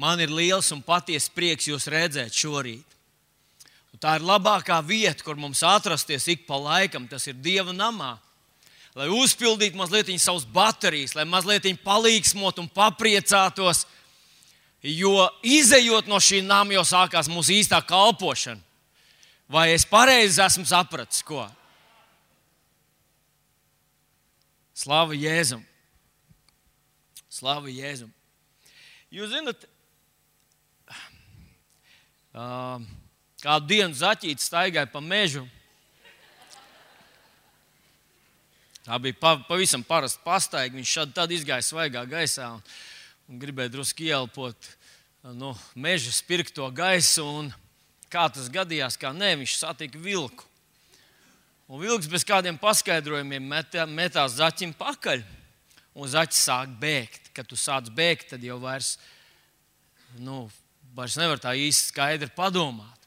Man ir liels un patiesa prieks jūs redzēt šorīt. Un tā ir labākā vieta, kur mums atrasties ik pa laikam, tas ir Dieva namā. Lai uzpildītu mazliet savas baterijas, lai mazliet palīgsmot un papriecātos, jo izejot no šī nama jau sākās mūsu īstā kalpošana. Vai es pareizi esmu sapratis, ko? Slava Jēzum! Slava Jēzum! Jūs zināt, kādu dienu zaķītis staigāja pa mežu. Tā bija pavisam parasta pastaiga. Viņš tad izgāja svaigā gaisā un gribēja drusku ieelpot meža spirkto gaisu. Un kā tas gadījās, kā nē, viņš satika vilku. Un vilks bez kādiem paskaidrojumiem metās zaķim pakaļ. Un zaķis sāk bēgt. Kad tu sāc bēgt, tad jau vairs nevar tā īsti skaidri padomāt.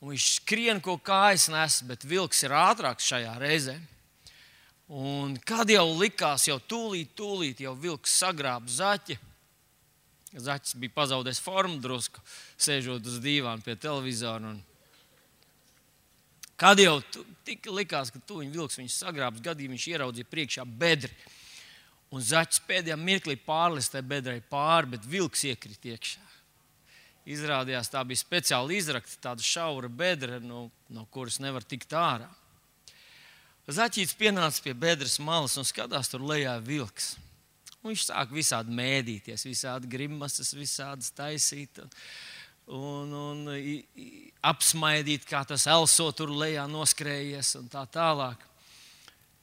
Un viņš skrien, ko kājas nes, bet vilks ir ātrāks šajā reizē. Un kad jau likās, jau tūlīt jau vilks sagrāb zaķi. Zaķis bija pazaudējis formu drusku, sēžot uz dīvāna pie televizora. Kad jau likās, ka tuviņ vilks viņus sagrābs, gadījumā viņš ieraudzīja priekšā bedri. Un zaķis pēdējā mirklī pārlistē bedrai pāri, bet vilks iekrita iekšā. Izrādījās, tā bija speciāli izrakta, tāda šaura bedra, no kuras nevar tikt ārā. Zaķītis pienāca pie bedres malas un skatās, tur lejā vilks. Un viņš sāk visādi mēdīties, visādi grimasas, visādas taisīt un apsmaidīt, kā tas elso tur lejā noskrējies un tā tālāk.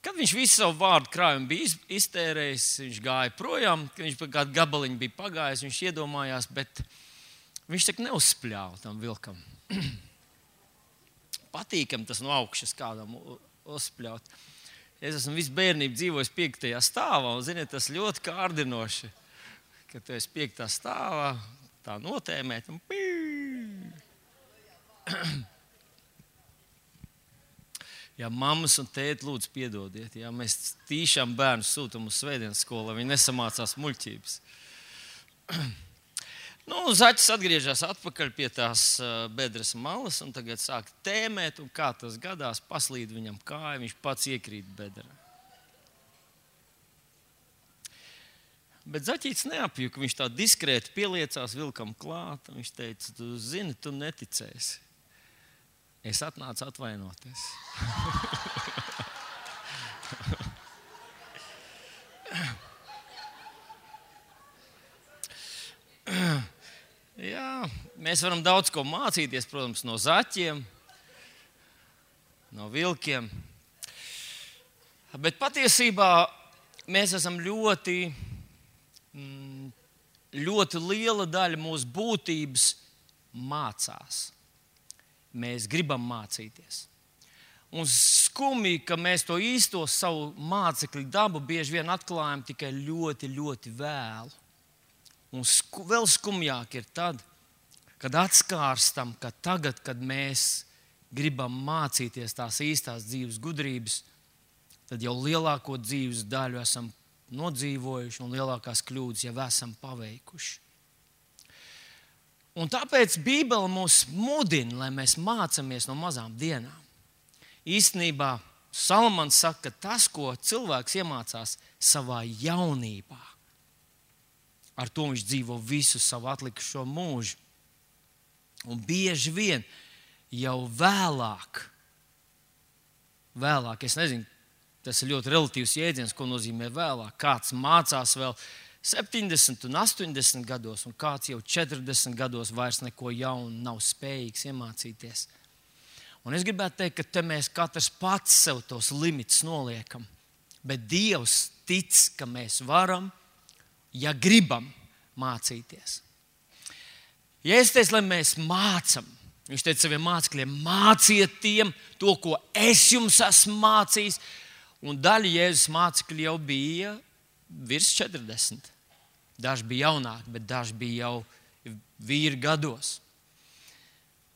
Kad viņš visu savu vārdu krājumu bija iztērējis, viņš gāja projām, kad viņš kādu gabaliņu bija pagājis, viņš iedomājās, bet viņš tak neuzspļāva tam vilkam. Patīkam tas no augšas kādam uzspļaut. Es esmu visu bērnību dzīvojis 5. stāvā, un, ziniet, tas ļoti kārdinoši, kad tu esi 5. stāvā, tā notēmēt, un Jā, mammas un tēti, lūdzu, piedodiet, ja mēs tīšām bērnus sūtam uz svētdienas skolu, lai viņi nesamācās muļķības. Zaķis atgriežas atpakaļ pie tās bedres malas un tagad sāk tēmēt, un kā tas gadās, paslīd viņam kāja, viņš pats iekrīt bedrē. Bet zaķītis neapjuka, viņš tā diskrēti pieliecās vilkam klāt, un viņš teica, tu zini, tu neticēsi. Es atnācu atvainoties. Jā, mēs varam daudz ko mācīties, protams, no zaķiem, no vilkiem. Bet patiesībā mēs esam ļoti liela daļa mūsu būtības mācās. Mēs gribam mācīties. Un skumji, ka mēs to īsto savu mācekļu dabu bieži vien atklājam tikai ļoti, ļoti vēlu. Un vēl skumjāk ir tad, kad atskārstam, ka tagad, kad mēs gribam mācīties tās īstās dzīves gudrības, tad jau lielāko dzīves daļu esam nodzīvojuši un lielākās kļūdas jau esam paveikuši. Un tāpēc Bībele mūs mudina, lai mēs mācāmies no mazām dienām. Īstenībā Salamans saka, ka tas, ko cilvēks iemācās savā jaunībā, ar to viņš dzīvo visu savu atlikušo mūžu. Un bieži vien jau vēlāk, es nezinu, tas ir ļoti relatīvs jēdziens, ko nozīmē vēlāk. Kāds mācās vēl 70 un 80 gados, un kāds jau 40 gados vairs neko jaunu nav spējīgs iemācīties. Un es gribētu teikt, ka te mēs katrs pats sev tos limitus noliekam. Bet Dievs tic, ka mēs varam, ja gribam mācīties. Ja es teicu, lai mēs mācam, viņš teica saviem mācekļiem, māciet tiem to, ko es jums esmu mācījis. Un daļa Jēzus mācekļi jau bija virs 40. Daži bija jaunāki, bet daži bija jau vīri gados.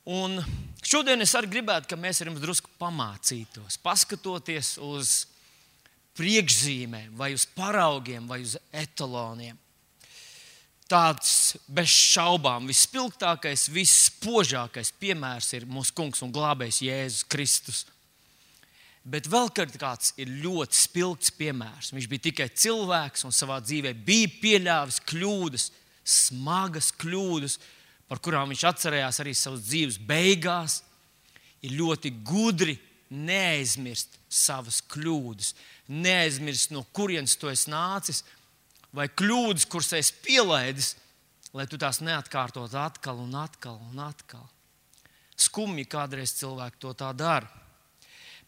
Un šodien es arī gribētu, ka mēs ar jums drusku pamācītos, paskatoties uz priekšzīmēm, vai uz paraugiem, vai uz etaloniem. tāds bez šaubām vispilgtākais, visspožākais piemērs ir mūsu kungs un glābējs Jēzus Kristus. Bet vēl kāds ir ļoti spilgts piemērs. Viņš bija tikai cilvēks un savā dzīvē bija pieļāvis kļūdas, smagas kļūdas, par kurām viņš atcerējās arī savas dzīves beigās. Ir ļoti gudri neaizmirst savas kļūdas, neaizmirst, no kurienes tu esi nācis, vai kļūdas, kuras esi pielaidis, lai tu tās neatkārtot atkal un atkal un atkal. Skumji kādreiz cilvēki to tā dara.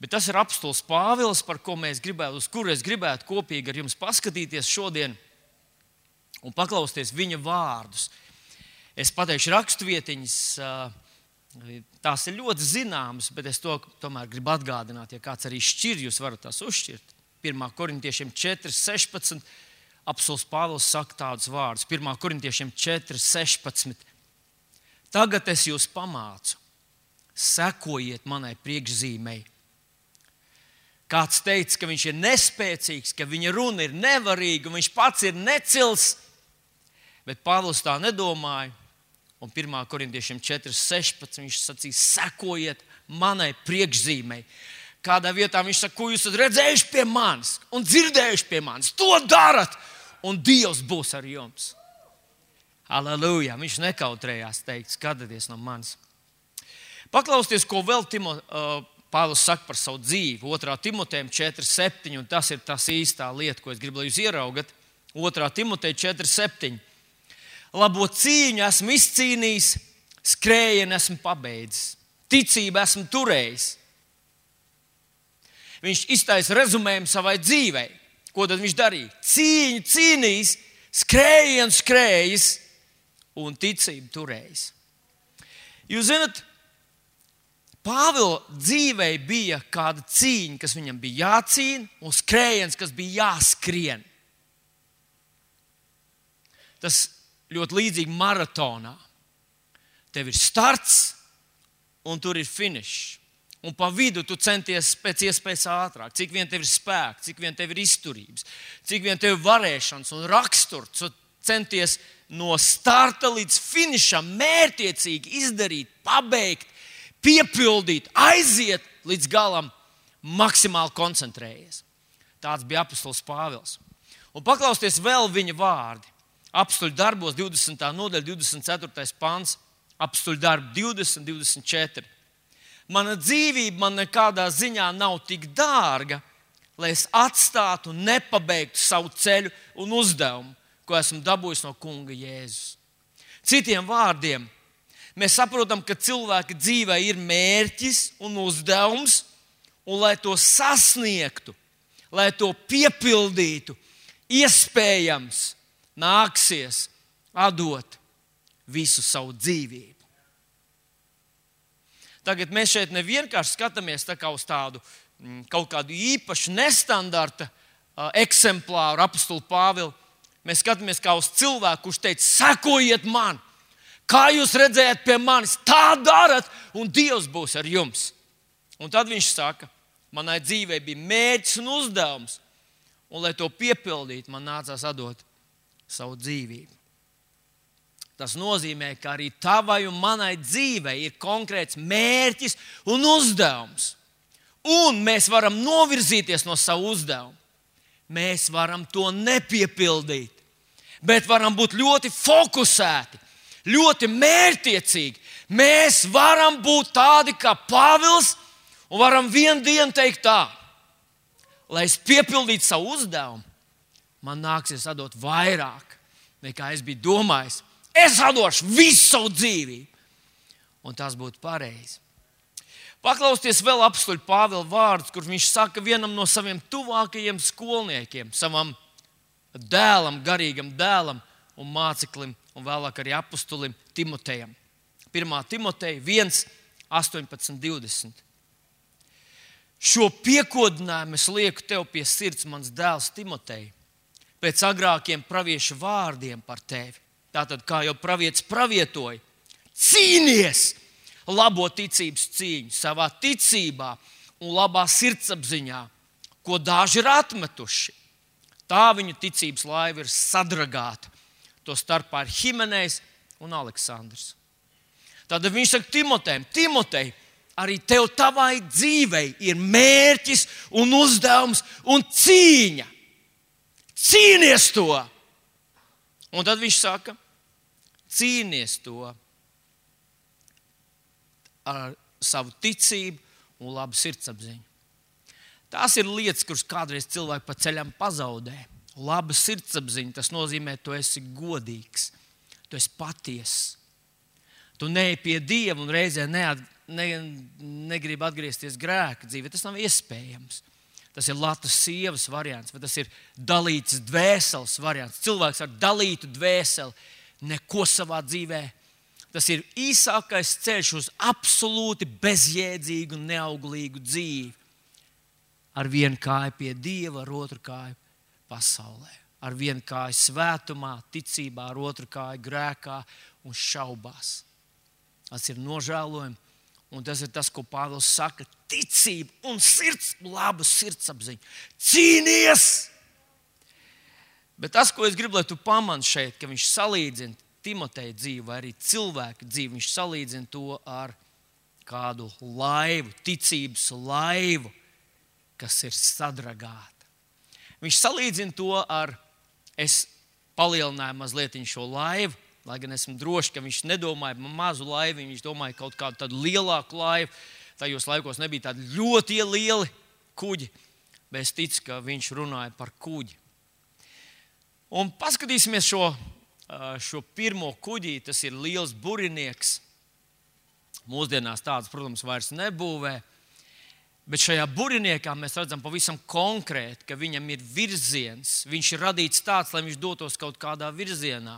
Bet tas ir apostols Pāvils, uz kuru es gribētu kopīgi ar jums paskatīties šodien un paklausties viņa vārdus. Es pateikšu raksturvietiņas, tās ir ļoti zināmas, bet es to tomēr gribu atgādināt, ja kāds arī šķir, jūs varat tās uzšķirt. 1. Korintiešiem 4:16 apostols Pāvils saka tādus vārdus. 1. Korintiešiem 4:16. Tagad es jūs pamācu, sekojiet manai priekšzīmei. Kāds teica, ka viņš ir nespēcīgs, ka viņa runa ir nevarīga, un viņš pats ir necils, bet Pāvils tā nedomāja. Un 1. Korintiešiem 4:16 viņš sacīja, sekojiet manai priekšzīmei. Kādā vietā viņš saka, ko jūs esat redzējuši pie manis un dzirdējuši pie manis, to darat, un Dievs būs ar jums. Halleluja! Viņš nekautrējās teikt, skatieties no manis. Paklausieties, ko vēl Pāvils saka par savu dzīvi. 2. Timotejam 4:7, un tas ir tas īstā lieta, ko es gribu, lai jūs ieraugat. 2. Timoteja 4:7. Labo cīņu esmu izcīnījis, skrējienu esmu pabeidzis, ticību esmu turējis. Viņš iztaisa rezumējumu savai dzīvei. Ko tad viņš darīja? Cīņu cīnījis, skrējienu skrējis un ticību turējis. Jūs zināt, Pāvila dzīvei bija kāda cīņa, kas viņam bija jācīna, un skrējiens, kas bija jāskrien. Tas ļoti līdzīgi maratonā. Tev ir starts, un tur ir finišs. Un pa vidu tu centies pēc iespējas ātrāk. Cik vien tev ir spēks, cik vien tev ir izturības, cik vien tev ir varēšanas un raksturs. Tu centies no starta līdz finišam mērķiecīgi izdarīt, pabeigt, piepildīt, aiziet līdz galam, maksimāli koncentrējies. Tāds bija apostols Pāvils. Un paklausieties vēl viņa vārdi. Apostoļu darbos 20. nodaļa, 24. pants, apostoļu darbu 20, 24. Mana dzīvība man nekādā ziņā nav tik dārga, lai es atstātu un nepabeigtu savu ceļu un uzdevumu, ko esmu dabūjis no kunga Jēzus. Citiem vārdiem, mēs saprotam, ka cilvēka dzīvē ir mērķis un uzdevums, un lai to sasniegtu, lai to piepildītu, iespējams nāksies atdot visu savu dzīvību. Tagad mēs šeit nevienkārši skatāmies tā kā uz tādu kaut kādu īpašu nestandarta eksemplāru apostulu Pāvilu. Mēs skatāmies kā uz cilvēku, kurš teica, sekojiet man, kā jūs redzējat pie manis, tā darat, un Dievs būs ar jums. Un tad viņš saka, manai dzīvei bija mērķis un uzdevums, un lai to piepildītu, man nācās atdot savu dzīvību. Tas nozīmē, ka arī tavai un manai dzīvei ir konkrēts mērķis un uzdevums. Un mēs varam novirzīties no savu uzdevumu. Mēs varam to nepiepildīt, bet varam būt ļoti fokusēti, ļoti mērķtiecīgi. Mēs varam būt tādi kā Pāvils un varam vienu dienu teikt tā, lai es piepildītu savu uzdevumu, man nāksies atdot vairāk, nekā es biju domājis. Es atdošu visu savu dzīvību. Un tas būtu pareizi. Paklausieties vēl apostoļa Pāvila vārdus, kur viņš saka vienam no saviem tuvākajiem skolniekiem, savam dēlam, garīgam dēlam un māceklim, un vēlāk arī apostolim Timotejam. 1. Timoteja 1, 18, 20. Šo piekodinājumu es lieku tev pie sirds, mans dēls Timotej, pēc agrākiem praviešu vārdiem par tevi. Tātad, kā jau pravietis pravietoja, cīnies labo ticības cīņu savā ticībā un labā sirdsapziņā, ko daži ir atmetuši. Tā viņu ticības laiva ir sadragāta. To starpā ir Himenejs un Aleksandrs. Tad viņš saka Timotejam, Timotej, arī tev tavai dzīvei ir mērķis un uzdevums un cīņa. Cīnies to! Un tad viņš saka, cīnies to ar savu ticību un labu sirdsapziņu. Tās ir lietas, kuras kādreiz cilvēki pa ceļam pazaudē. Laba sirdsapziņa, tas nozīmē, tu esi godīgs, tu esi patiess. Tu neej pie Dieva un reizē negribi atgriezties grēka dzīvē. Tas nav iespējams. Tas ir latas sievas variants, vai tas ir dalīts dvēseles variants. Cilvēks ar dalītu dvēseli neko savā dzīvē. Tas ir īsākais ceļš uz absolūti bezjēdzīgu un neauglīgu dzīvi. Ar vienu kāju pie Dieva, ar otru kāju pasaulē. Ar vienu kāju svētumā, ticībā, ar otru kāju grēkā un šaubās. Tas ir nožēlojami. Un tas ir tas, ko Pāvils saka. Ticība un laba sirdsapziņa. Cīnies! Bet tas, ko es gribu, lai tu pamani šeit, ka viņš salīdzina Timoteja dzīvi vai arī cilvēka dzīvi, viņš salīdzina to ar kādu laivu, ticības laivu, kas ir sadragāta. Viņš salīdzina to ar, es palielināju mazliet šo laivu, lai gan esmu droši, ka viņš nedomāja mazu laivu, viņš domāja kaut kādu tādu lielāku laivu. Tajos laikos nebija tādi ļoti lieli kuģi, bet es ticu, ka viņš runāja par kuģi. Un paskatīsimies šo pirmo kuģī, tas ir liels burinieks. Mūsdienās tāds, protams, vairs nebūvē. Bet šajā buriniekā mēs redzam pavisam konkrēti, ka viņam ir virziens. Viņš ir radīts tāds, lai viņš dotos kaut kādā virzienā.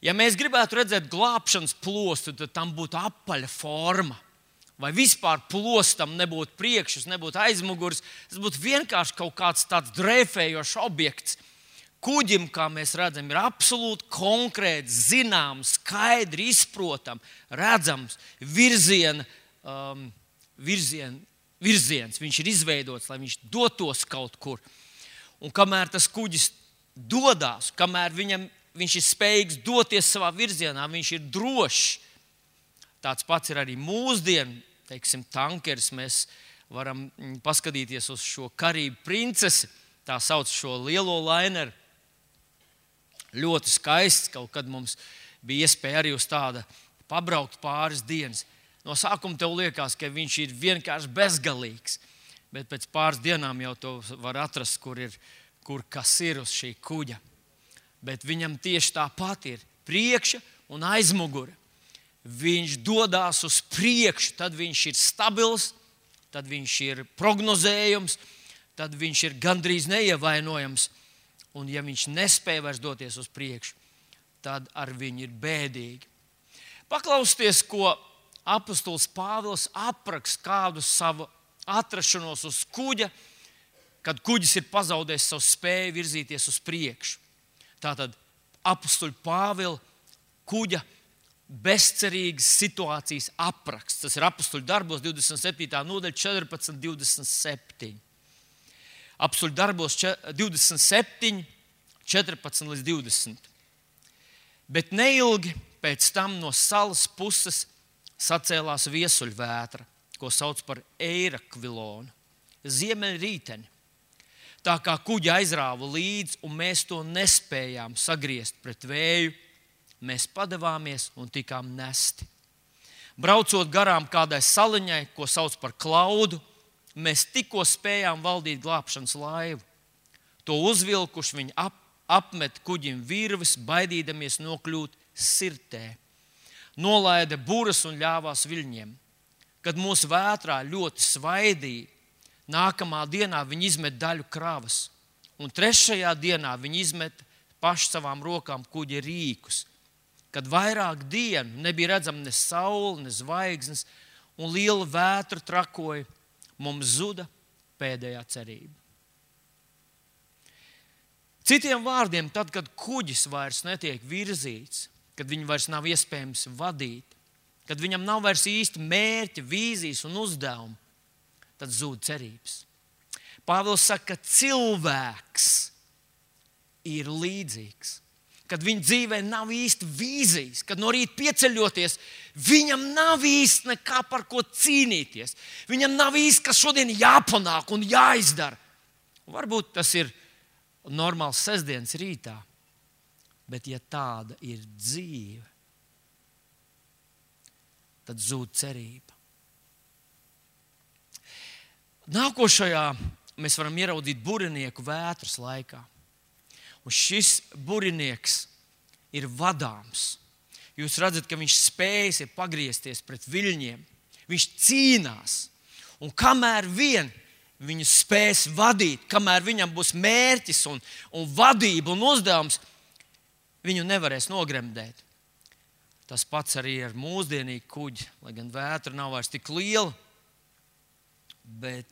Ja mēs gribētu redzēt glābšanas plostu, tad tam būtu apaļa forma. Vai vispār plostam nebūtu priekšus, nebūtu aizmugurs. Tas būtu vienkārši kaut kāds tāds dreifējošs objekts. Kuģim, kā mēs redzam, ir absolūti konkrēts, zināms, skaidri izprotams, redzams virziens. Viņš ir izveidots, lai viņš dotos kaut kur. Un kamēr tas kuģis dodas, kamēr viņš ir spējīgs doties savā virzienā, viņš ir drošs. Tāds pats ir arī mūsdienu, teiksim, tankeris. Mēs varam paskatīties uz šo Karību princesi, tā sauc šo lielo laineru. Ļoti skaists, kaut kad mums bija iespēja arī uz tāda pabraukt pāris dienas. No sākuma tev liekas, ka viņš ir vienkārši bezgalīgs, bet pēc pāris dienām jau to var atrast, kur kas ir uz šī kuģa. Bet viņam tieši tāpat ir priekša un aizmugure. Viņš dodas uz priekšu, tad viņš ir stabils, tad viņš ir prognozējams, tad viņš ir gandrīz neievainojams. Un ja viņš nespēja vairs doties uz priekšu, tad ar viņu ir bēdīgi. Paklausieties, ko apostols Pāvils apraksta kādu savu atrašanos uz kuģa, kad kuģis ir pazaudējis savu spēju virzīties uz priekšu. Tātad apostoļa Pāvila kuģa bezcerīgas situācijas apraksts. Tas ir apostoļu darbos 27. nodaļa 14-27. Apostoļu darbos 27, 14 līdz 20. Bet neilgi pēc tam no salas puses sacēlās viesuļvētra, ko sauc par Eirakvilonu, ziemeļrīteni. Tā kā kuģi aizrāva līdzi un mēs to nespējām sagriezt pret vēju, mēs padevāmies un tikām nesti. Braucot garām kādai saliņai, ko sauc par Klaudu, mēs tikko spējām valdīt glābšanas laivu. To uzvilkuši viņi apmet kuģim virves, baidīdamies nokļūt sirtē. Nolaida buras un ļāvās viļņiem. Kad mūsu vētrā ļoti svaidīja, nākamā dienā viņi izmet daļu kravas. Un trešajā dienā viņi izmet paši savām rokām kuģa rīkus. Kad vairāk dienu nebija redzama ne saule, ne zvaigznes, un liela vētra trakoja, mums zuda pēdējā cerība. Citiem vārdiem, tad, kad kuģis vairs netiek virzīts, kad viņu vairs nav iespējams vadīt, kad viņam nav vairs īsti mērķa, vīzijas un uzdevumu, tad zūd cerības. Pāvils saka, ka cilvēks ir līdzīgs. kad viņa dzīvē nav īsti vīzijas, kad no rīta pieceļoties, viņam nav īsti nekā par ko cīnīties. Viņam nav īsti, kas šodien jāpanāk un jāizdara. Varbūt tas ir normāls sestdienas rītā, bet ja tāda ir dzīve, tad zūd cerība. Nākošajā mēs varam ieraudzīt burinieku vētras laikā. Un šis burinieks ir vadāms. Jūs redzat, ka viņš spējas pagriezties pret viļņiem. Viņš cīnās. Un kamēr vien viņu spēs vadīt, kamēr viņam būs mērķis un vadība un uzdevums, viņu nevarēs nogremdēt. Tas pats arī ar mūsdienīgu kuģi, lai gan vētra nav vairs tik liela, bet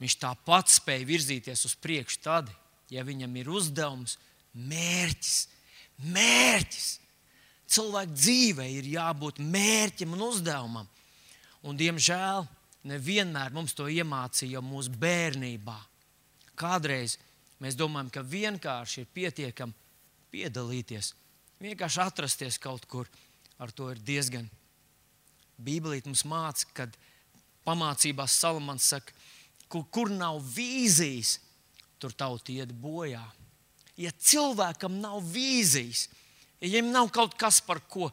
viņš tāpat spēja virzīties uz priekšu tad, ja viņam ir uzdevums, mērķis. Cilvēka dzīvē ir jābūt mērķim un uzdevumam. Un, diemžēl, nevienmēr mums to iemācīja jau mūsu bērnībā. Kādreiz mēs domājam, ka vienkārši ir pietiekami piedalīties, vienkārši atrasties kaut kur. Ar to ir diezgan. Bībelīte mums māca, kad pamācībās Salamans saka, kur nav vīzijas, tur tauta iet bojā. Ja cilvēkam nav vīzijas, ja viņam nav kaut kas, par ko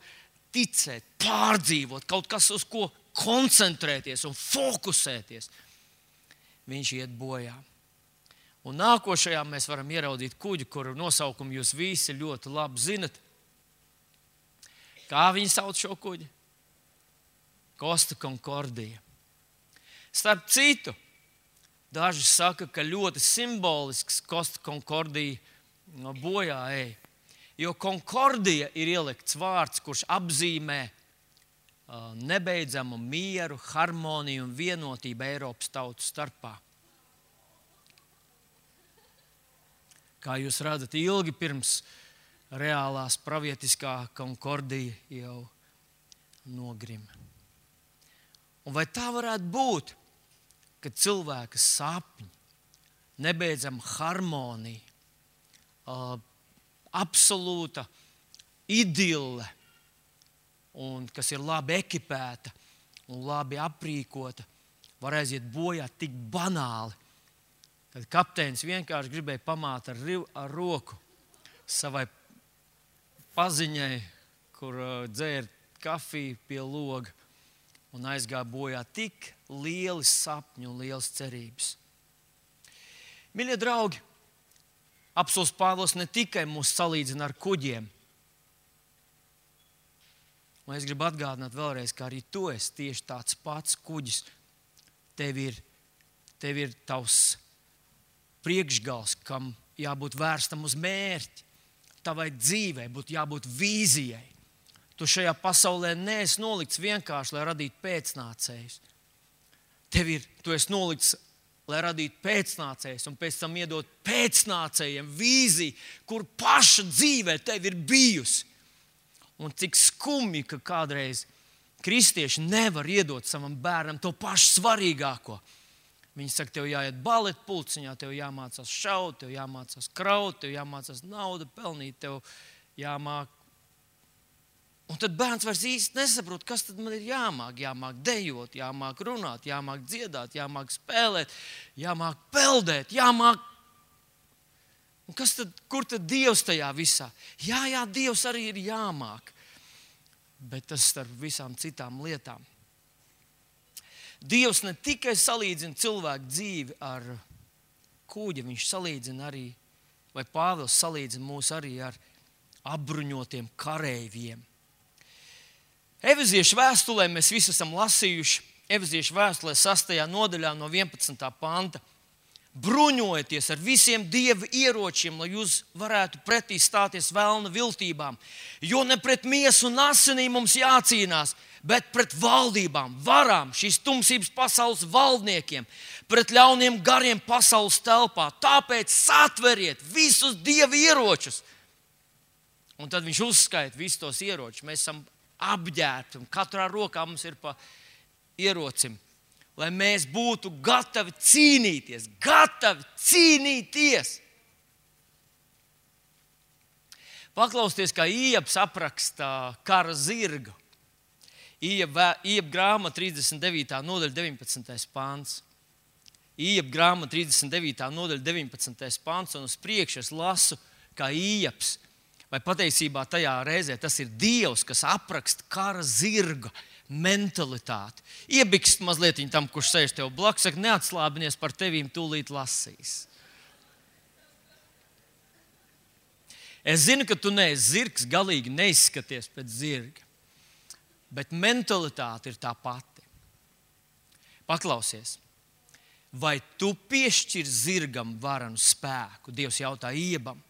ticēt, pārdzīvot, kaut kas, uz ko koncentrēties un fokusēties, viņš iet bojā. Un nākošajā mēs varam ieraudzīt kuģi, kuru nosaukumu jūs visi ļoti labi zinat. Kā viņi sauc šo kuģi? Costa Concordia. Starp citu, daži saka, ka ļoti simbolisks Costa Concordia bojā ej. Jo Concordia ir ielikts vārds, kurš apzīmē nebeidzamu mieru, harmoniju un vienotību Eiropas tautu starpā. Kā jūs redzat, ilgi pirms reālās pravietiskā Concordia jau nogrima. Un vai tā varētu būt, ka cilvēka sapņi, nebeidzama harmonija, absolūta idille, un kas ir labi ekipēta un labi aprīkota, var aiziet bojā tik banāli, kad kapteinis vienkārši gribēja pamāt ar roku savai paziņai, kur dzēra kafiju pie loga, un aizgāja bojā tik lieli sapņi un lielas cerības. Mīļie draugi, apostuls Pāvils ne tikai mūs salīdzina ar kuģiem. Un es gribu atgādināt vēlreiz, ka arī tu esi tieši tāds pats kuģis. Tev ir tavs priekšgals, kam jābūt vērstam uz mērķi. Tavai dzīvei būtu jābūt vīzijai. Tu šajā pasaulē neesi nolikts vienkārši, lai radītu pēcnācējus. Tu esi nolikts, lai radītu pēcnācējus un pēc tam iedot pēcnācējiem vīziju, kur paša dzīvē tev ir bijusi. Un cik skumji, ka kādreiz kristieši nevar iedot savam bērnam to pašu svarīgāko. Viņi saka, tev jāiet baleta pulciņā, tev jāmācās šaut, tev jāmācās kraut, tev jāmācās naudu pelnīt, tev jāmāk. Un tad bērns vairs īsti nesaprot, kas tad man ir jāmāk. Jāmāk dejot, jāmāk runāt, jāmāk dziedāt, jāmāk spēlēt, jāmāk peldēt, jāmāk. Un kur tad Dievs tajā visā? Jā, Dievs arī ir jāmāk. Bet tas starp visām citām lietām. Dievs ne tikai salīdzina cilvēku dzīvi ar kuģi, viņš salīdzina arī, vai Pāvils salīdzina mūs arī ar apbruņotiem kareiviem. Efeziešu vēstulē mēs visi esam lasījuši, Efeziešu vēstulē 6. nodaļā no 11. panta. Bruņojieties ar visiem Dieva ieročiem, lai jūs varētu pretī stāties velna viltībām. Jo ne pret miesu un asinīm mums jācīnās, bet pret valdībām, varām, šīs tumsības pasaules valdniekiem, pret ļauniem gariem pasaules telpā. Tāpēc satveriet visus Dieva ieročus. Un tad viņš uzskaita visus tos ieročus. Mēs esam apģērbti un katrā rokā mums ir pa ierocim. Lai mēs būtu gatavi cīnīties. Paklausieties, kā Ieps apraksta kara zirgu. Ieba grāmata 39. nodaļa 19. pāns. Ieba grāmata 39. nodaļa 19. pāns, un uz priekšu es lasu, kā Ieps. Vai patiesībā tajā reizē tas ir Dievs, kas apraksta kara zirga mentalitāti. Iebikst mazliet tam, kurš sēž tev blakus, saka, neatslābinies, par tevīm tūlīt lasīs. Es zinu, ka tu neesi zirgs, galīgi neizskaties pēc zirga, bet mentalitāte ir tā pati. Paklausies, vai tu piešķir zirgam varanu spēku? Dievs jautā Iebam.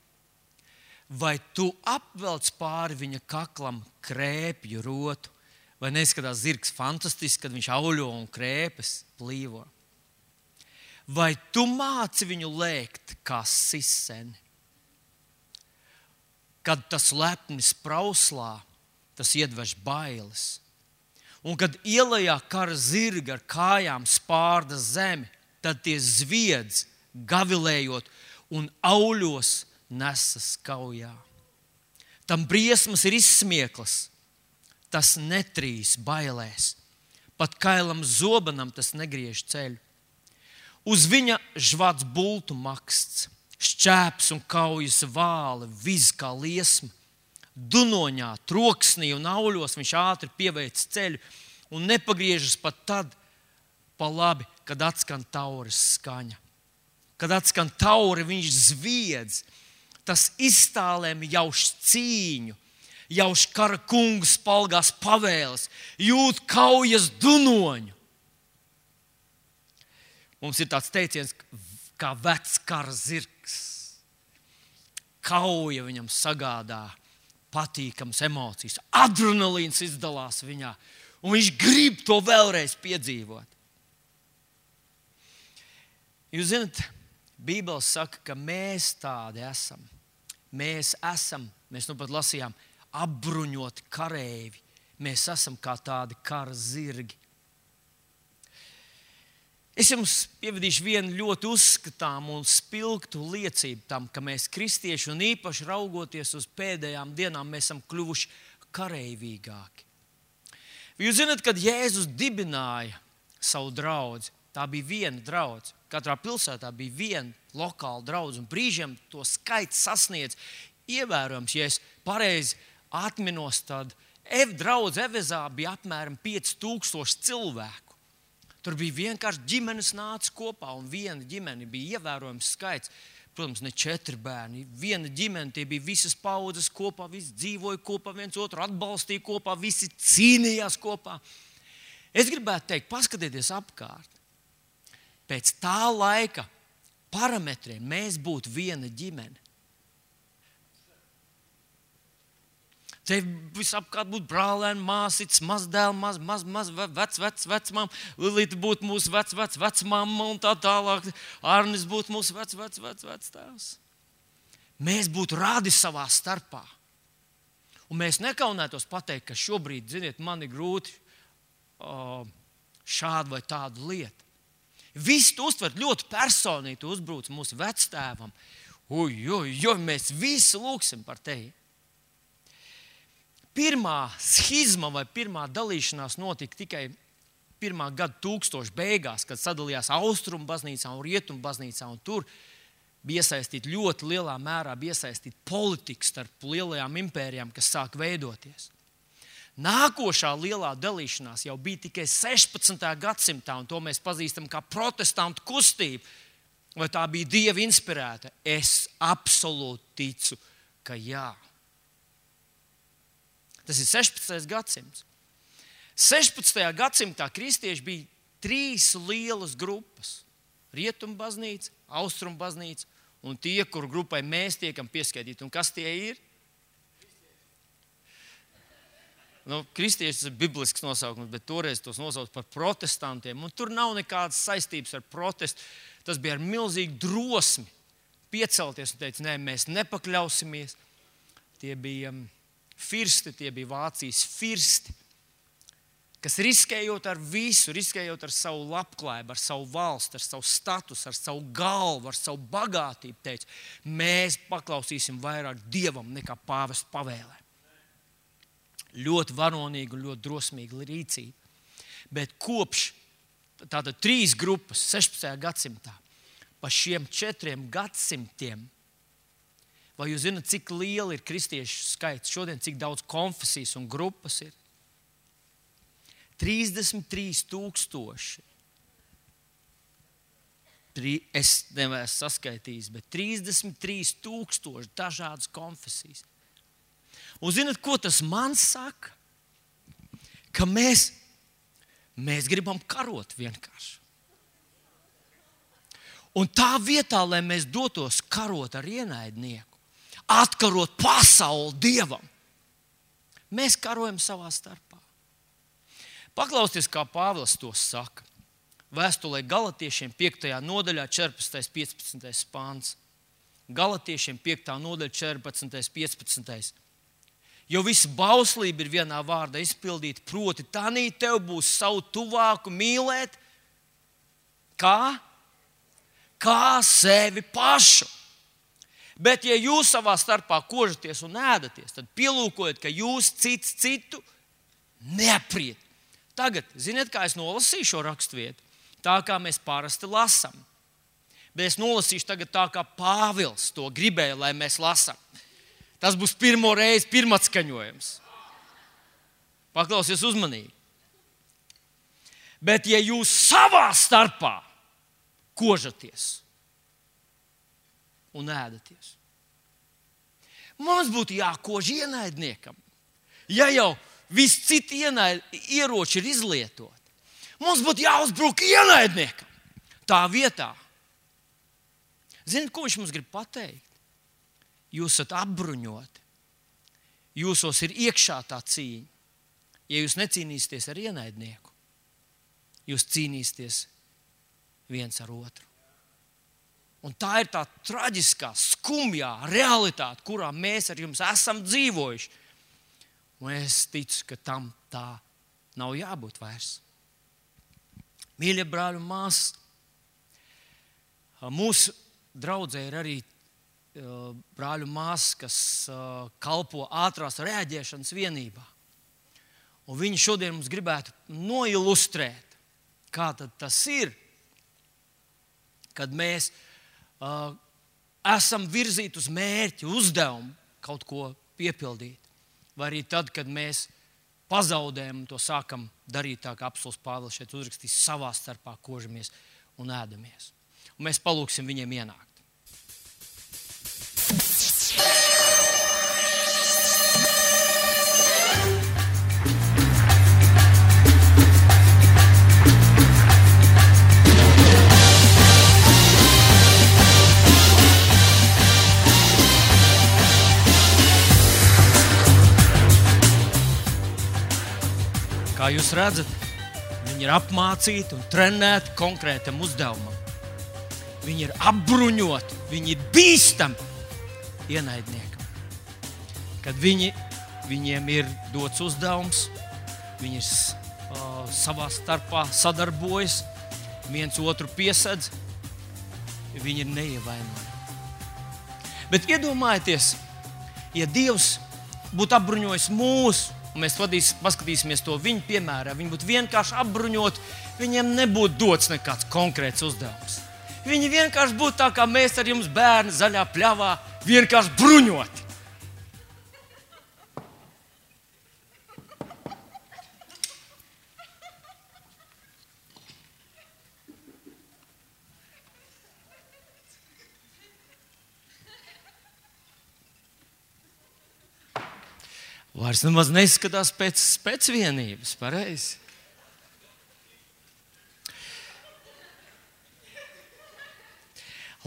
Vai tu apvelc pāri viņa kaklam krēpju rotu? Vai neizskatās zirgs fantastiski, kad viņš auļo un krēpes plīvo? Vai tu māci viņu lēkt kā siseni? Kad tas lepni sprauslā, tas iedvež bailes. Un kad ielejā kara zirga ar kājām spārda zemi, tad tie zviedz, gavilējot un auļos nesas kaujā. Tam briesmas ir izsmieklas, tas netrīs bailēs. Pat kailam zobenam tas negriež ceļu. Uz viņa žvats bultu maksts, šķēps un kaujas vāli, viz kā liesma. Dunoņā, troksnī un auļos viņš ātri pieveic ceļu un nepagriežas pat tad pa labi, kad atskan tauras skaņa. Kad atskan tauri, viņš zviedz. Tas iztālēm jauš cīņu, jauš kara kungu spalgās pavēles, jūt kaujas dunoņu. Mums ir tāds teiciens, kā vecs kara zirgs. Kauja viņam sagādā patīkamas emocijas, adrenalīns izdalās viņā, un viņš grib to vēlreiz piedzīvot. Jūs zināt, Bībele saka, ka mēs tādi esam. Mēs nu pat lasījām, apbruņoti kareivji. Mēs esam kā tādi kara zirgi. Es jums pievadīšu vienu ļoti uzskatāmu un spilgtu liecību tam, ka mēs kristieši un īpaši raugoties uz pēdējām dienām, mēs esam kļuvuši kareivīgāki. Jūs zināt, kad Jēzus dibināja savu draudzi, tā bija viena draudze. Katrā pilsētā bija viena lokāla draudze, un brīžiem to skaits sasniedz ievērojams. Ja es pareizi atminos, tad draudze Evezā bija apmēram 5000 cilvēku. Tur bija vienkārši ģimenes nāca kopā, un viena ģimene bija ievērojams skaits. Protams, ne 4 bērni. Viena ģimene, tie bija visas paudzes kopā, visi dzīvoja kopā, viens otru atbalstīja kopā, visi cīnījās kopā. Es gribētu teikt, paskatieties apkārt. Pēc tā laika parametriem mēs būtu viena ģimene. Te visapkārt būtu brālēni, māsītes, mazdēli, vecmām, Lilita būtu mūsu vecmamma un tā tālāk. Arnis būtu mūsu vectēvs. Mēs būtu radi savā starpā. Un mēs nekaunētos pateikt, ka šobrīd, ziniet, man ir grūti šādu vai tādu lietu. Visi to uztver ļoti personīgi, tu uzbruc mūsu vectēvam. Mēs visi lūksim par tevi. Pirmā schizma vai pirmā dalīšanās notika tikai 1. gada 1000 beigās, kad sadalījās Austrumu baznīcā un Rietumu baznīcā. Un tur bija iesaistīta ļoti lielā mērā politika starp lielajām impērijām, kas sāk veidoties. Nākošā lielā dalīšanās jau bija tikai 16. gadsimtā, un to mēs pazīstam kā protestantu kustību. Vai tā bija Dieva inspirēta? Es absolūti ticu, ka jā. Tas ir 16. gadsimts. 16. gadsimtā kristieši bija 3 lielas grupas. Rietumu baznīca, Austrumu baznīca un tie, kuru grupai mēs tiekam pieskaitīti. Un kas tie ir? Kristieši ir biblisks nosaukums, bet toreiz tos nosauc par protestantiem. Un tur nav nekādas saistības ar protestu. Tas bija ar milzīgu drosmi piecelties un teikt, nē, mēs nepakļausimies. Tie bija firsti, tie bija Vācijas firsti, kas riskējot ar visu, riskējot ar savu labklājību, ar savu valsti, ar savu statusu, ar savu galvu, ar savu bagātību, teica, mēs paklausīsim vairāk Dievam nekā pāvesta pavēlē. Ļoti varonīga un ļoti drosmīga rīcība. Bet kopš tātad 3 grupas 16. gadsimtā, pa šiem 4 gadsimtiem, vai jūs zināt, cik liela ir kristiešu skaits šodien, cik daudz konfesijas un grupas ir? 33,000. Es neesmu saskaitījis, bet 33,000 dažādas konfesijas. Un zināt, ko tas man saka? Ka mēs gribam karot vienkārši. Un tā vietā, lai mēs dotos karot ar ienaidnieku, atkarot pasauli Dievam, mēs karojam savā starpā. Paklausieties, kā Pāvils to saka. Vēstulē Galatiešiem 5. nodaļā 14. 15. pāns. Galatiešiem 5. nodaļa 14. 15. Jo visa bauslība ir vienā vārdā izpildīta, proti tanī tev būs savu tuvāku mīlēt, kā sevi pašu. Bet ja jūs savā starpā kožaties un ēdaties, tad pielūkojiet, ka jūs cits citu neapriet. Tagad, ziniet, kā es nolasīju šo raksturvietu? Tā kā mēs parasti lasām. Bet es nolasīšu tagad tā, kā Pāvils to gribēja, lai mēs lasām. Tas būs pirmo reizi pirmatskaņojums. Paklausies uzmanīgi. Bet ja jūs savā starpā kožaties un ēdaties, mums būtu jākož ienaidniekam. Ja jau visi citi ieroči ir izlietoti, mums būtu jāuzbruk ienaidniekam. Tā vietā. Ziniet, ko viņš mums grib pateikt? Jūs esat apbruņoti. Jūsos ir iekšā tā cīņa. Ja jūs necīnīsieties ar ienaidnieku, jūs cīnīsieties viens ar otru. Un tā ir tā traģiskā, skumjā realitāte, kurā mēs ar jums esam dzīvojuši. Un es ticu, ka tam tā nav jābūt vairs. Mīļie brāļi un māsas, mūsu draudzē ir arī brāļu māsas, kas kalpo ātrās reaģēšanas vienībā. Un viņi šodien mums gribētu noilustrēt, kā tad tas ir, kad mēs esam virzīti uz mērķi, uzdevumu kaut ko piepildīt. Vai arī tad, kad mēs pazaudējam un to sākam darīt tā, kā apostols Pāvils šeit uzrakstīs, savā starpā kožamies un ēdamies. Un mēs palūksim viņiem ienākt. Kā jūs redzat, viņi ir apmācīti un trenēti konkrētam uzdevumam. Viņi ir apbruņoti, viņi ir bīstami ienaidniekam. Kad viņiem ir dots uzdevums, viņi savā starpā sadarbojas, viens otru piesedz, viņi ir neievainojami. Bet iedomājieties, ja Dievs būtu apbruņojis mūsu, un mēs paskatīsimies to viņu piemērā, viņi būtu vienkārši apbruņoti, viņiem nebūtu dots nekāds konkrēts uzdevums. Viņi vienkārši būtu tā, kā mēs ar jums bērni zaļā pļavā, vienkārši bruņoti. Vairs nemaz neizskatās pēc vienības, pareizi.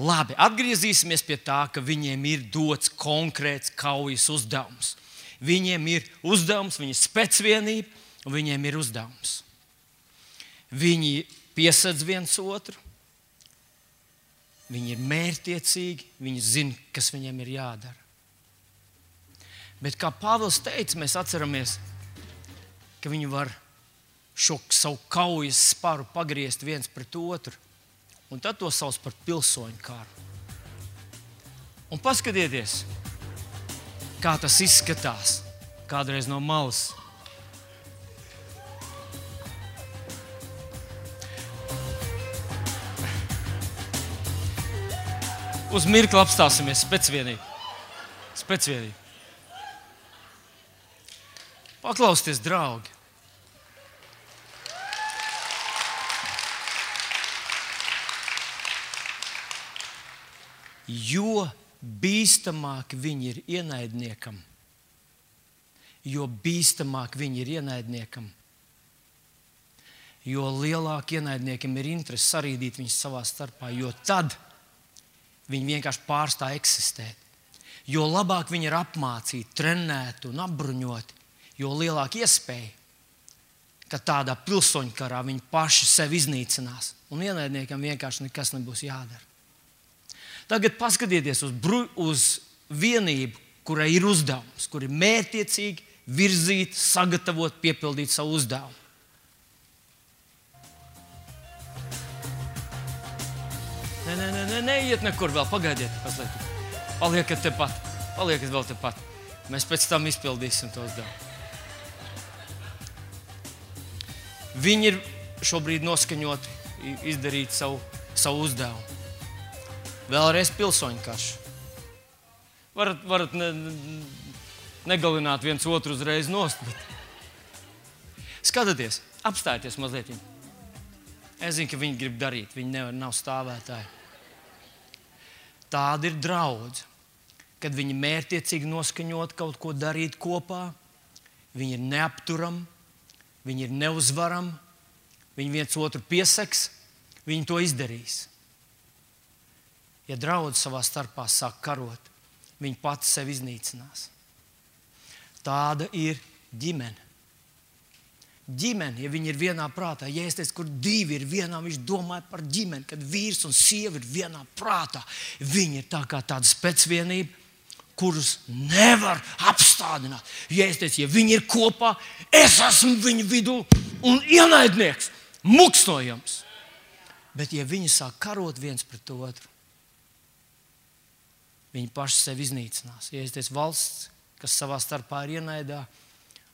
Labi, atgriezīsimies pie tā, ka viņiem ir dots konkrēts kaujas uzdevums. Viņiem ir uzdevums, viņi ir spēcvienība, un viņiem ir uzdevums. Viņi piesedz viens otru, viņi ir mērķtiecīgi, viņi zina, kas viņiem ir jādara. Bet, kā Pāvils teica, mēs atceramies, ka viņi var šo savu kaujas sparu pagriezt viens pret otru. Un tad to sauc par pilsoņu karu. Un paskatieties, kā tas izskatās kādreiz no malas. Uz mirkli apstāsimies spēcvienīgi. Paklausieties, draugi. Jo bīstamāk viņi ir ienaidniekam, jo lielāk ienaidniekiem ir interese sarīdīt viņus savā starpā, jo tad viņi vienkārši pārstāj eksistēt. Jo labāk viņi ir apmācīti, trenēti un apbruņoti, jo lielāka iespēja, ka tādā pilsoņu karā viņi paši sevi iznīcinās. Un ienaidniekam vienkārši nekas nebūs jādara. Tagad paskatieties uz vienību, kurai ir uzdevums, kur ir mērķiecīgi virzīt, sagatavot, piepildīt savu uzdevumu. Neiet nekur vēl, pagaidiet, mazliet. Paliekat vēl tepat. Mēs pēc tam izpildīsim to uzdevumu. Viņi ir šobrīd noskaņoti izdarīt savu uzdevumu. Vēlreiz pilsoņu karš. Varat negalināt viens otru uzreiz nost. Skatieties, apstājieties mazliet. Es zinu, ka viņi grib darīt, viņi nav stāvētāji. Tāda ir draudze, kad viņi mērķiecīgi noskaņot kaut ko darīt kopā, viņi ir neapturami, viņi ir neuzvarami, viņi viens otru pieseks, viņi to izdarīs. Ja draudze savā starpā sāk karot, viņi pati sevi iznīcinās. Tāda ir ģimene. Ģimene, ja viņi ir vienā prātā, ja es teicu, kur divi ir vienā, viņš domāja par ģimeni, kad vīrs un sieva ir vienā prātā. Viņi ir tā kā tāda spēcvienība, kurus nevar apstādināt. Ja es teicu, ja viņi ir kopā, es esmu viņu vidū un ienaidnieks, muksnojams. Bet ja viņi sāk karot viens pret otru, viņi paši sevi iznīcinās. Ja es teicu, valsts, kas savā starpā ir ienaidā,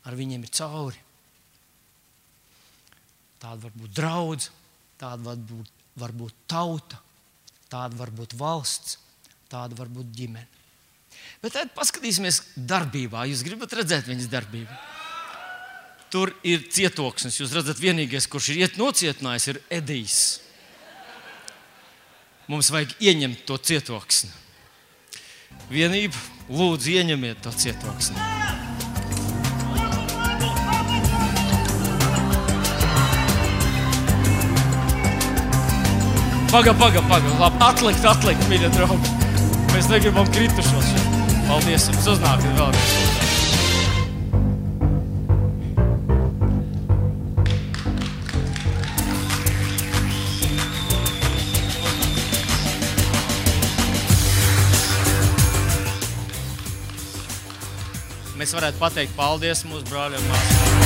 ar viņiem ir cauri. Tāda var būt draudze, tāda var būt tauta, tāda var būt valsts, tāda var būt ģimene. Bet tad paskatīsimies darbībā. Jūs gribat redzēt viņas darbību? Tur ir cietoksnis. Jūs redzat, vienīgais, kurš ir nocietinājis, ir Edijs. Mums vajag ieņemt to cietoksni. Vienība, lūdzu, ieņemiet to cietoksni. Paga. Labi, atlikt, mīļie draugi. Mēs negribam kritušos šeit. Paldies jums, uznākat vēlreiz. Mēs varētu pateikt paldies mūsu brāļiem un māsām.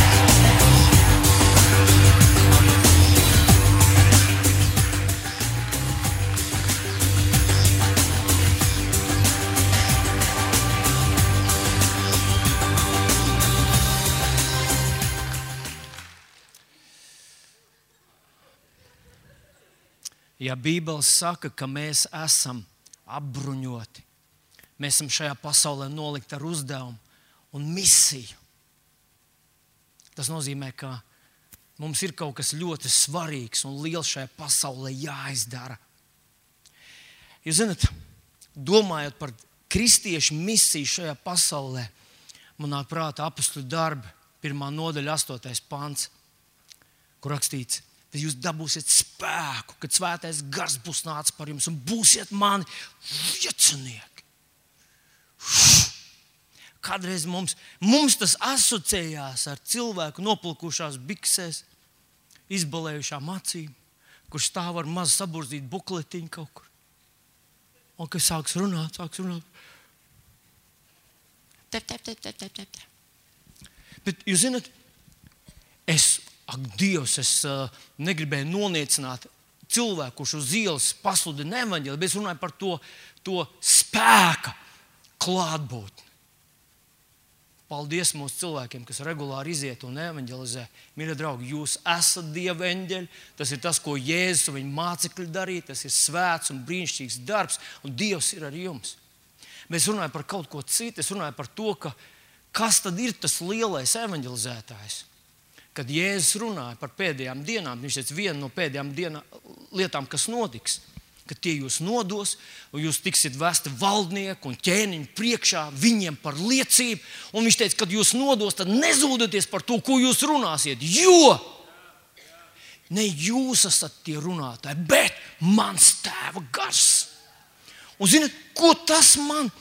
Ja Bībele saka, ka mēs esam apbruņoti, mēs esam šajā pasaulē nolikti ar uzdevumu un misiju, tas nozīmē, ka mums ir kaut kas ļoti svarīgs un liels šajā pasaulē jāizdara. Jūs zināt, domājot par kristiešu misiju šajā pasaulē, man nāk prātā Apostoļu darbi, 1. nodaļa, 8. pants, kur rakstīts: Tad jūs dabūsiet spēku, kad Svētais Gars būs nācis par jums un būsiet mani liecinieki. Kādreiz mums tas asociējās ar cilvēku nopulkušās biksēs, izbalējušām acīm, kurš stāv ar mazu saburzītu bukletiņu kaut kur. Un kad sāks runāt. Tep. Bet jūs zināt, es ak, Dievs, es negribēju noniecināt cilvēku, kurš uz ielas pasludina evaņģēliju, bet es runāju par to spēka klātbūtni. Paldies mūsu cilvēkiem, kas regulāri iziet un evaņģelizē. Mīļie draugi, jūs esat Dieva eņģeļi. Tas ir tas, ko Jēzus un viņa mācekļi darīja. Tas ir svēts un brīnišķīgs darbs, un Dievs ir ar jums. Bet es runāju par kaut ko citu. Es runāju par to, kas tad ir tas lielais evaņģelizētājs. Kad Jēzus runāja par pēdējām dienām, viņš teica, viena no pēdējām lietām, kas notiks, ka tie jūs nodos, un jūs tiksiet vesti valdnieku un ķēniņu priekšā viņiem par liecību. Un viņš teica, kad jūs nodos, tad nezūdaties par to, ko jūs runāsiet, jo ne jūs esat tie runātāji, bet mans Tēva gars. Un zināt, ko tas man?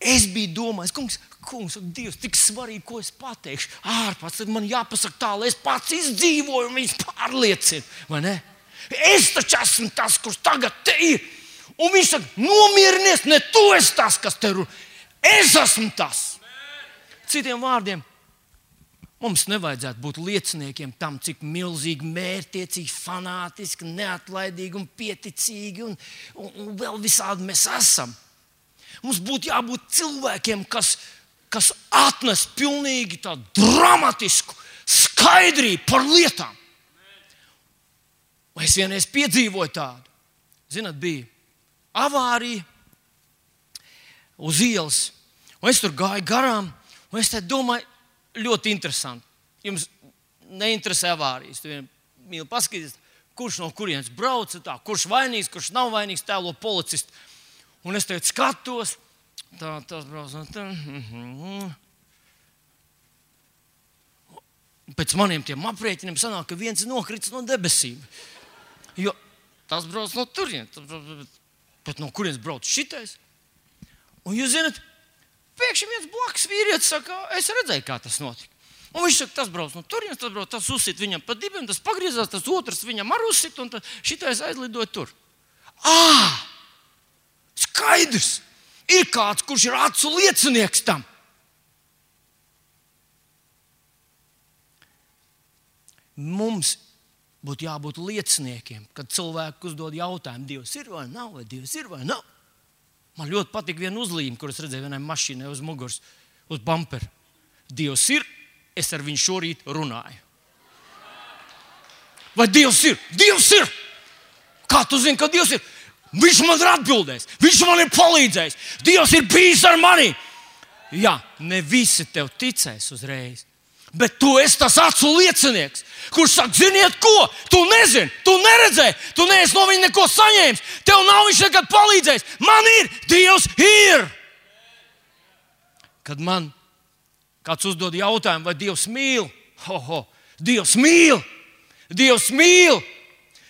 Es biju domājis, kungs, Dievs, tik svarīgi, ko es pateikšu. Ārpats, tad man jāpasaka tā, lai es pats izdzīvoju un viņus pārliecinu, vai ne? Es taču esmu tas, kurš tagad te ir. Un viņš saka, nomierinies, ne tu esi tas, kas te runā. Es esmu tas. Citiem vārdiem, mums nevajadzētu būt lieciniekiem tam, cik milzīgi mērķtiecīgi, fanātiski, neatlaidīgi un pieticīgi un vēl visādi mēs esam. Mums būtu jābūt cilvēkiem, kas atnes pilnīgi tādu dramatisku skaidrību par lietām. Es vienreiz piedzīvoju tādu. Zināt, bija avārija uz ielas, un es tur gāju garām, un es domāju, ļoti interesanti. Jums neinteresē avārijas. Tu vien mīli paskatīties, kurš no kurienes brauca, tā, kurš vainīgs, kurš nav vainīgs, tēlo policistu. Un es tagad skatos, tas brauc no tā. Pēc maniem tiem aprēķiniem sanāk, ka viens nokrits no debesīm. Jo tas brauc no turienes, bet no kurienes brauc šitais? Un jūs zināt, pēkšņi viens blakus vīrietis saka, es redzēju, kā tas notika. Un viņš saka, tas brauc no turienes, tas uzsit viņam pa dibiem, tas pagriezās, tas otrs viņam ar uzsit, un šitais aizlidoja tur. Skaidrs! Ir kāds, kurš ir acu liecinieks tam. Mums būtu jābūt lieciniekiem, kad cilvēki uzdod jautājumu, Dievs ir vai nav, vai Dievs ir vai nav. Man ļoti patīk viena uzlīme, kuras redzēju vienai mašīnai uz muguras, uz bumpera. Dievs ir, es ar viņu šorīt runāju. Vai Dievs ir? Dievs ir! Kā tu zini, ka Dievs ir? Viņš man ir atbildējis, viņš man ir palīdzējis. Dievs ir bijis ar mani. Jā, ne visi tev ticēs uzreiz. Bet tu esi tas acu liecinieks, kurš saka, ziniet ko, tu nezini, tu neredzēji, tu neesi no viņa neko saņēmis, tev nav viņš nekad palīdzējis. Man ir, Dievs ir. Kad man kāds uzdod jautājumu, vai Dievs mīl, Dievs mīl, Dievs mīl.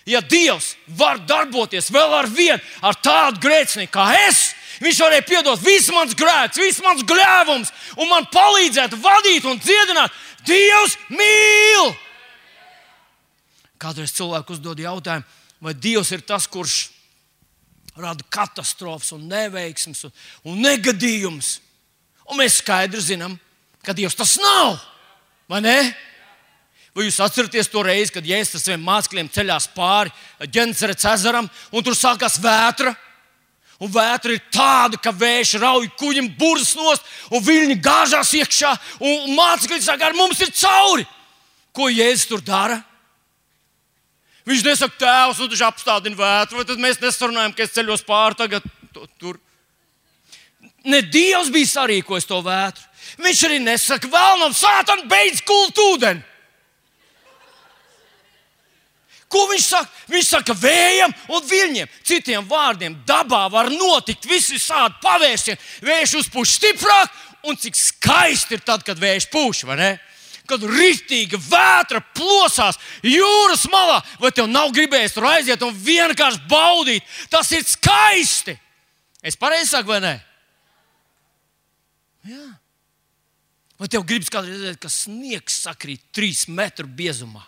Ja Dievs var darboties vēl ar vienu, ar tādu grēcinieku kā es, viņš varēja piedot visu mans grēks, visu mans gļēvums un man palīdzēt, vadīt un dziedināt. Dievs mīl! Kādreiz cilvēku uzdod jautājumu, vai Dievs ir tas, kurš rada katastrofas un neveiksmes un negadījumus. Un mēs skaidri zinām, ka Dievs tas nav, vai ne? Vai jūs atceraties to reizi, kad Jēzus ar saviem mācekļiem ceļās pāri Ģenesaretes ezeram, un tur sākās vētra? Un vētra ir tāda, ka vējš rauj kuģim burzas nost, un viļņi gāžās iekšā, un mācekļi saka, ar mums ir cauri. Ko Jēzus tur dara? Viņš nesaka, tēvs, un viņš apstādina vētru, vai tad mēs nesarunājam, ka es ceļos pāri tagad tur. Ne Dievs bija sarīkojis to vētru. Viņš arī nesaka, vēlnam, sātan, beidz kult ūdeni. Ko viņš saka? Viņš saka vējam un viļņiem. Citiem vārdiem, dabā var notikt visi šādi pavērsieni. Vējš uzpūš stiprāk, un cik skaisti ir tad, kad vējš pūš, vai ne? Kad ritīga vētra plosās jūras malā, vai tev nav gribējies tur aiziet un vienkārši baudīt? Tas ir skaisti. Es pareizi saku, vai ne? Jā. Vai tev gribas kādreiz redzēt, ka sniegs sakrīt 3 metru biezumā?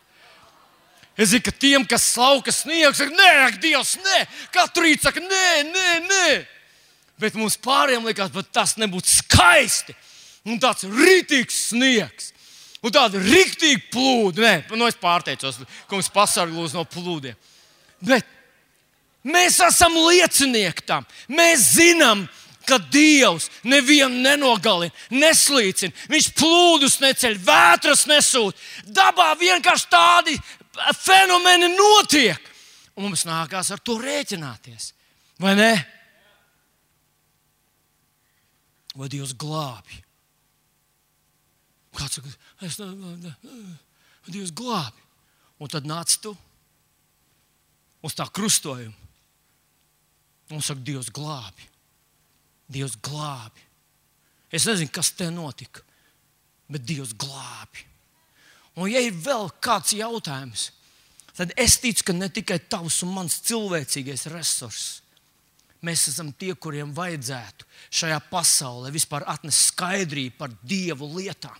Es zinu, ka tiem, kas slauka sniegs, saka, nē, Dievs, nē. Katru rītu saka, nē. Bet mums pārējiem likās, bet tas nebūtu skaisti. Un tāds ritīgs sniegs. Un tāda riktīgi plūda. Nē, es pārteicos, kungs pasargā lūdzu no plūdiem. Bet mēs esam liecinieki tam. Mēs zinām, ka Dievs nevienu nenogalina, neslīcina. Viņš plūdus neceļ, vētras nesūt. Dabā vienkārši tādi fenomeni notiek. Un mums nākās ar to rēķināties. Vai ne? Vai Dievs glābj? Kāds saka, Dievs glābj. Un tad nāc tu uz tā krustojuma. Un saka, Dievs glābj. Dievs glābj. Es nezinu, kas te notika, bet Dievs glābj. Un ja ir vēl kāds jautājums, tad es ticu, ka ne tikai tavs un mans cilvēcīgais resurss. Mēs esam tie, kuriem vajadzētu šajā pasaulē vispār atnest skaidrību par Dievu lietām.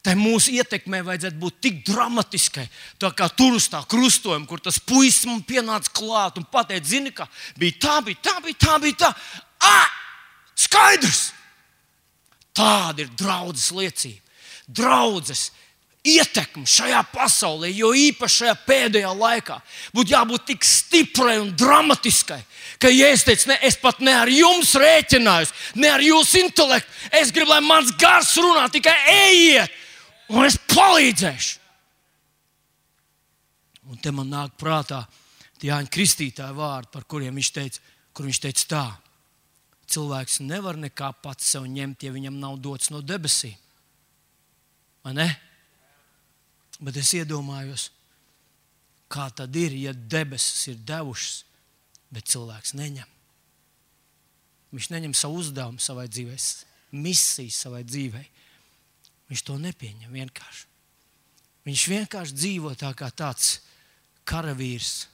Tai mūsu ietekmē vajadzētu būt tik dramatiskai, tā kā tur uz tā krustojuma, kur tas puisis man pienāca klāt un pateica, zini, ka bija tā. Skaidrs! Tāda ir draudzes liecība. Draudzes ietekme šajā pasaulē, jo īpaši šajā pēdējā laikā, būtu jābūt tik stiprai un dramatiskai, ka, ja es teicu, ne, es pat ne ar jums rēķinājos, ne ar jūsu intelektu, es gribu, lai mans gars runā, tikai ejiet, un es palīdzēšu. Un te man nāk prātā tie Jāņa Kristītāja vārdi, par kuriem viņš teica tā. Cilvēks nevar nekā pats sev ņemt, ja viņam nav dots no debesīm. Vai ne? Bet es iedomājos, kā tad ir, ja debesis ir devušas, bet cilvēks neņem. Viņš neņem savu uzdevumu savai dzīvei, misiju savai dzīvei. Viņš to nepieņem vienkārši. Viņš vienkārši dzīvo tā kā tāds karavīrs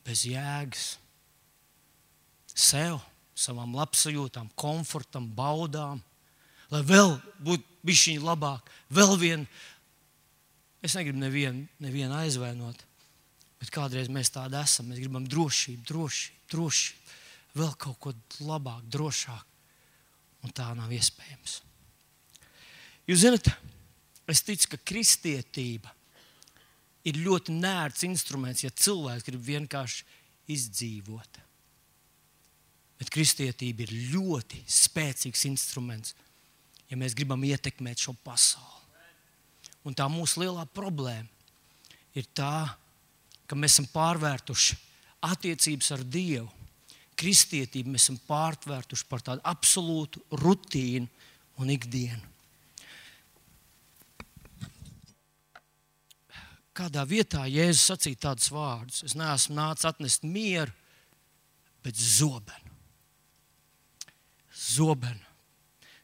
bez jēgas. Sev, savām labsajūtām, komfortam, baudām, lai vēl būtu bišķiņ labāk, vēl vien, es negribu nevienu aizvainot, bet kādreiz mēs tādi esam, mēs gribam drošību, vēl kaut ko labāk, drošāk, un tā nav iespējams. Jūs zināt, es ticu, ka kristietība ir ļoti nērts instruments, ja cilvēks grib vienkārši izdzīvot. Bet kristietība ir ļoti spēcīgs instruments, ja mēs gribam ietekmēt šo pasauli. Un tā mūsu lielā problēma ir tā, ka mēs esam pārvērtuši attiecības ar Dievu. Kristietību mēs esam pārvērtuši par tādu absolūtu rutīnu un ikdienu. Kādā vietā Jēzus sacīja tādus vārdus: es neesmu nācis atnest mieru, bet zobenu. Zobenu.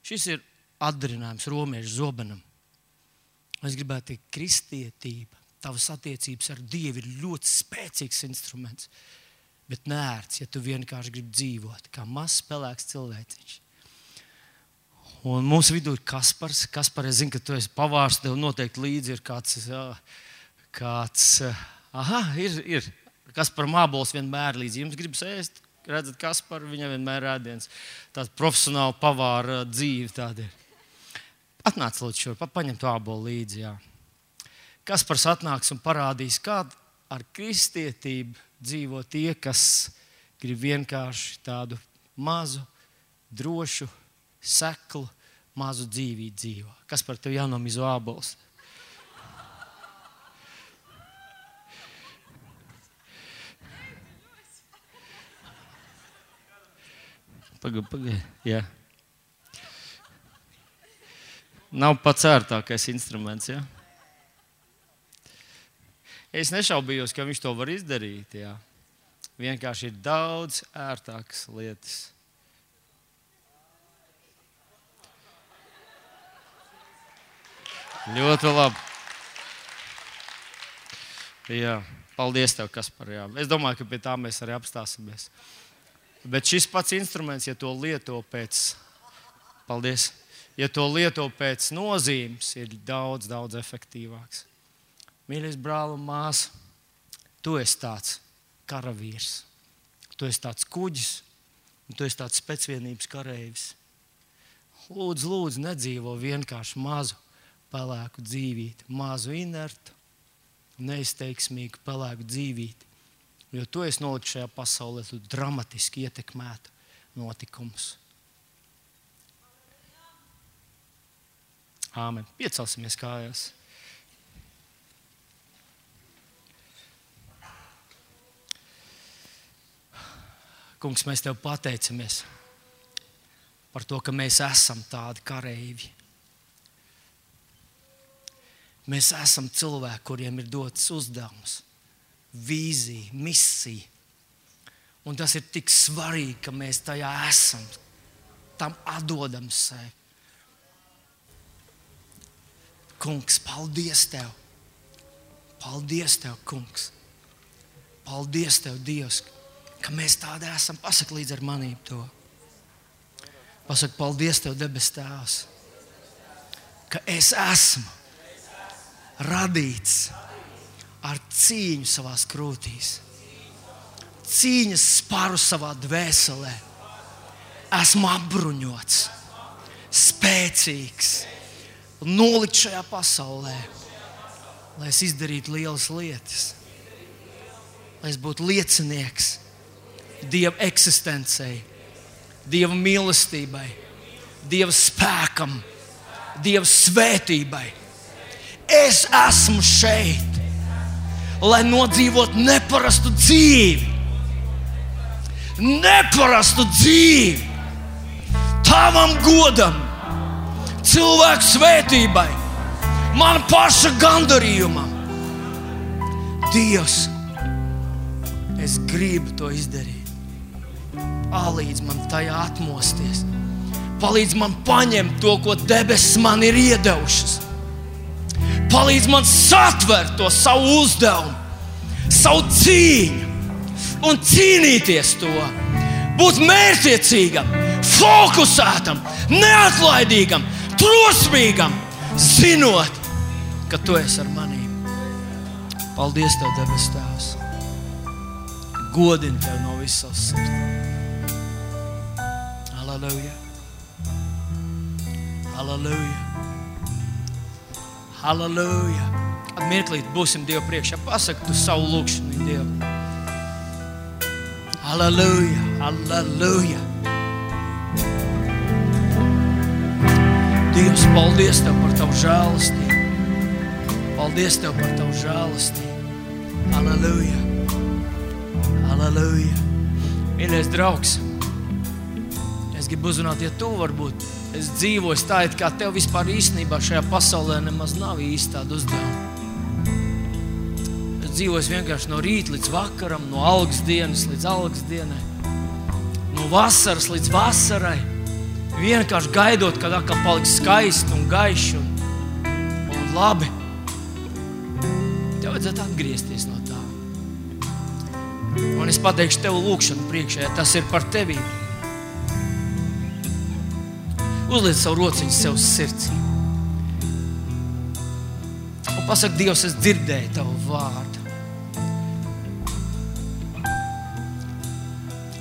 Šis ir atdarinājums romiešu zobenam. Es gribētu teikt, kristietība, tavas attiecības ar Dievu ir ļoti spēcīgs instruments, bet nērts, ja tu vienkārši gribi dzīvot kā mazs pelēks cilvēciņš. Un mūsu vidū ir Kaspars. Kaspar, es zinu, ka tu esi pavārs, tev noteikti līdzi ir ir Kaspar mābols vienmēr līdzi. Jums gribas ēst? Redzat, Kaspar, viņam vienmēr ēdiens. Tāda profesionāla pavāra dzīve tāda ir. Atnāc lūdzu šur, paņem to ābolu līdzi. Jā. Kaspars atnāks un parādīs, kā ar kristietību dzīvo tie, kas grib vienkārši tādu mazu, drošu, seklu, mazu dzīvību dzīvo. Kaspar, tev jānomizo ābols. Pagaid, jā. Nav pats ērtākais instruments, jā. Es nešaubījos, ka viņš to var izdarīt, jā. Vienkārši ir daudz ērtākas lietas. Ļoti labi. Jā, paldies tev, Kaspar, jā. Es domāju, ka pie tā mēs arī apstāsimies. Bet šis pats instruments, ja to lieto pēc, paldies, ja to lieto pēc nozīmes, ir daudz, daudz efektīvāks. Mīļais brāl un māsa, tu esi tāds karavīrs, tu esi tāds kuģis, un tu esi tāds spēcvienības kareivis. Lūdzu, nedzīvo vienkārši mazu pelēku dzīvīti, mazu inertu, neizteiksmīgu pelēku dzīvīti. Jo tu esi nolicis šajā pasaulē, tu dramatiski ietekmētu notikumus. Āmen. Piecelsimies kājās. Kungs, mēs Tev pateicamies par to, ka mēs esam tādi kareivji. Mēs esam cilvēki, kuriem ir dots uzdevums, vīzija, misija. Un tas ir tik svarīgi, ka mēs tajā esam, tam atdodam sevi. Kungs, paldies Tev. Paldies Tev, Kungs. Paldies Tev, Dievs, ka mēs tādi esam. Pasaki līdz ar manību to. Pasaki, paldies Tev, debes Tēvs, ka es esmu radīts ar cīņu savās krūtīs. Cīņas sparu savā dvēselē. Esmu apbruņots, spēcīgs, nolikt šajā pasaulē, lai es izdarītu lielas lietas, lai es būtu liecinieks Dieva eksistencei, Dieva mīlestībai, Dieva spēkam, Dieva svētībai. Es esmu šeit, lai nodzīvot neparastu dzīvi. Neparastu dzīvi. Tavam godam, cilvēku svētībai, man paša gandarījumam. Dievs, es gribu to izdarīt. Palīdz man tajā atmosties. Palīdz man paņemt to, ko debesis man ir iedevušas. Palīdz man satvert to savu uzdevumu, savu cīņu un cīnīties to. Būt mērķtiecīgam, fokusētam, neatlaidīgam, drosmīgam, zinot, ka Tu esi ar manīm. Paldies Tev, debes Tēvs. Godinu Tev no visas savas sirds. Halleluja. Halleluja. Halleluja. Mirklīt būsim Dievu priekšā. Pasaki tu savu lūkšanu Dievu. Halleluja. Halleluja. Dievs, paldies Tev par Tavu žēlastību. Paldies Tev par Tavu žēlastību. Halleluja. Halleluja. Mīļais draugs, es gribu uzrunāt, ja tu varbūt es dzīvoju tā, it kā tev vispār īstenībā šajā pasaulē nemaz nav īsti tāda uzdevuma. Es dzīvoju vienkārši no rīta līdz vakaram, no algas dienas līdz algas dienai, no vasaras līdz vasarai, vienkārši gaidot, kad atkal paliks skaisti un gaiši un labi. Tev vajadzētu atgriezties no tā. Un es pateikšu tev lūkšanu priekšā, ja tas ir par tevi. Uzliec savu rociņu sev sirds. Un pasaki, Dievs, es dzirdēju Tavu vārdu.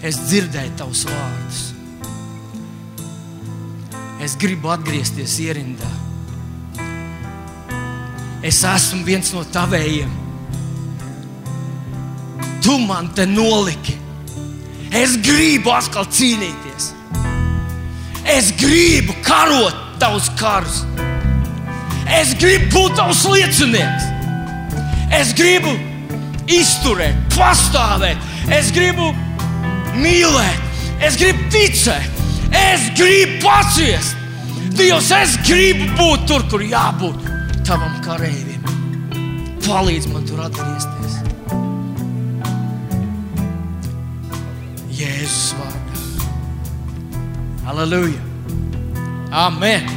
Es dzirdēju Tavus vārdus. Es gribu atgriezties ierindā. Es esmu viens no Tavējiem. Tu man te noliki. Es gribu atkal cīnīties. Es gribu karot Tavus karus. Es gribu būt Tavs liecinieks. Es gribu izturēt, pastāvēt. Es gribu mīlēt. Es gribu ticēt. Es gribu paciest. Dievs, es gribu būt tur, kur jābūt Tavam kareivim. Palīdz man tur atgriezties. Jēzus vārdā. Halleluja. Amen.